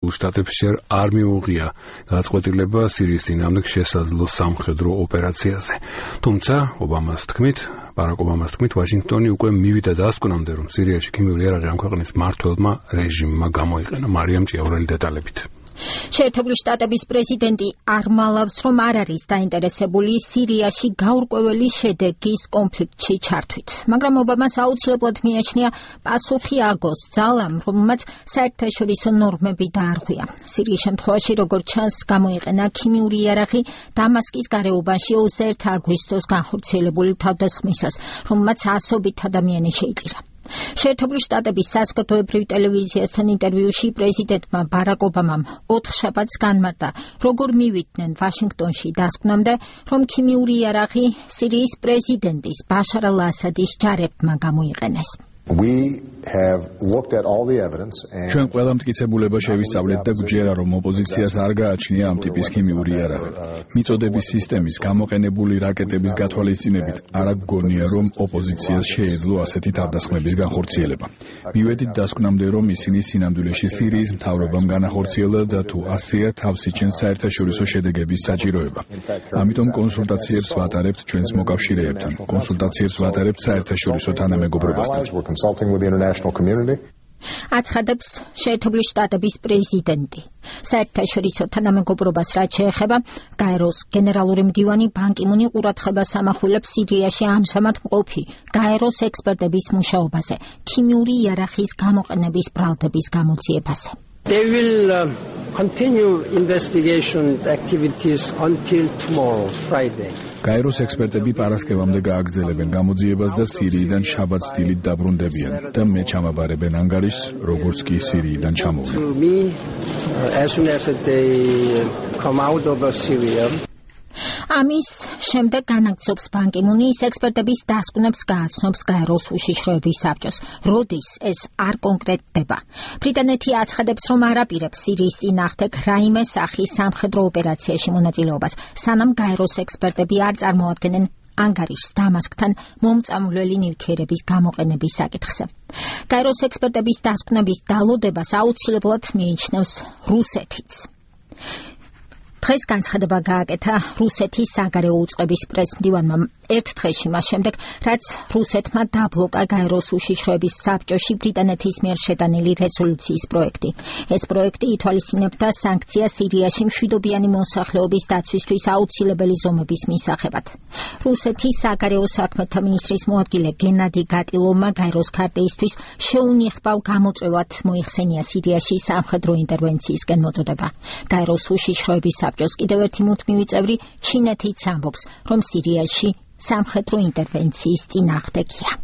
შტატებს ჯერ არ მიუღია გადაწყვეტილება სირიის წინააღმდეგ შესაძლო სამხედრო ოპერაციაზე. თუმცა ბარაკ ობამას თქმით, ვაშინგტონი უკვე მივიდა დასკვნამდე, რომ სირიაში ქიმიური იარაღი ამ ქვეყნის მმართველმა რეჟიმმა გამოიყენა. მარიამ ჭიაურელი დეტალებით. შეერთებული შტატების პრეზიდენტი არ მალავს, რომ არ არის დაინტერესებული სირიაში გაურკვეველი შედეგის კონფლიქტში ჩართვით. მაგრამ ობამას აუცილებლად მიაჩნია პასუხი აგოს ძალამ, რომელმაც საერთაშორისო ნორმები დაარღვია. სირიის შემთხვევაში, როგორც ჩანს, გამოიყენა ქიმიური იარაღი დამასკის გარეუბანში 21 აგვისტოს განხორციელებული თავდასხმისას, რომელმაც ასობით ადამიანი შეიწირა. შეერთებული შტატების საზოგადოებრივ ტელევიზიასთან ინტერვიუში პრეზიდენტმა ბარაკ ობამამ 4 შაბათს განმარტა, როგორ მივიდნენ ვაშინგტონში დასკვნამდე, რომ ქიმიური იარაღი სირიის პრეზიდენტის ბაშარ ალ-ასადის ჯარებმა გამოიყენეს. ჩვენ ყველა მტკიცებულება შევისწავლეთ და გვჯერა, რომ ოპოზიციას არ გააჩნია ამ ტიპის ქიმიური იარაღი. მიწოდების სისტემის გამოყენებული რაკეტების გათვალისწინებით არ გვგონია, რომ ოპოზიციას შეეძლო ასეთი თავდასხმების განხორციელება. მივედით დასკვნამდე, რომ ისინი სინამდვილეში სირიის მთავრობამ განახორციელა და თუ ასეა თავს იჩენს საერთაშორისო შედეგების საჭიროება. ამიტომ კონსულტაციებს ვატარებთ ჩვენს მოკავშირეებთან, კონსულტაციებს ვატარებთ საერთაშორისო თანამეგობრობასთან. აცხადებს შეერთებული შტატების პრეზიდენტი. საერთაშორისო თანამეგობრობას რაც შეეხება, გაეროს გენერალური მდივანი ბან კი მუნი ყურადღებას ამახვილებს სირიაში ამჟამად მყოფი გაეროს ექსპერტების მუშაობაზე, ქიმიური იარაღის გამოყენების ბრალდების გამოძიებაზე. They will continue investigation activities until tomorrow, Friday. გაეროს ექსპერტები პარასკევამდე გააგრძელებენ გამოძიებას და სირიიდან შაბათს დილით დაბრუნდებიან და მე ჩამაბარებენ ანგარიშს, როგორც კი სირიიდან ჩამოვლენ. As soon as they come out of Syria. ამის შემდეგ განაგრძობს ბან კი მუნი ის ექსპერტების დასკვნებს გააცნობს გაეროს უშიშროების საბჭოს. როდის ეს არ კონკრეტდება. ბრიტანეთი აცხადებს, რომ არ აპირებს სირიის წინააღმდეგ რაიმე სახის სამხედრო ოპერაციაში მონაწილეობას, სანამ გაეროს ექსპერტები არ წარმოადგენენ ანგარიშს დამასკთან მომწამვლელი ნივთიერების გამოყენების საკითხზე. გაეროს ექსპერტების დასკვნების დალოდებას აუცილებლად მიიჩნევს რუსეთიც. დღეს განცხადება გააკეთა რუსეთის საგარეო უწყების პრესმდივანმა ერთ დღეში მას შემდეგ, რაც რუსეთმა დაბლოკა გაეროს უშიშროების საბჭოში ბრიტანეთის მიერ შეტანილი რეზოლუციის პროექტი. ეს პროექტი ითვალისწინებდა სანქციას სირიაში მშვიდობიანი მოსახლეობის დაცვისთვის აუცილებელი ზომების მისაღებად. რუსეთის საგარეო საქმეთა მინისტრის მოადგილე გენადი გატილოვმა გაეროს ქარტეისთვის შეუნიხბავ გამოწვევად მოიხსენია სირიაში სამხედრო ინტერვენციისკენ მოწოდება. გაეროს უშიშროების საბჭოს კიდევ ერთი მუდმივი წევრი ჩინეთიც ამბობს, რომ სირიაში სამხედრო ინტერვენციის წინააღმდეგია.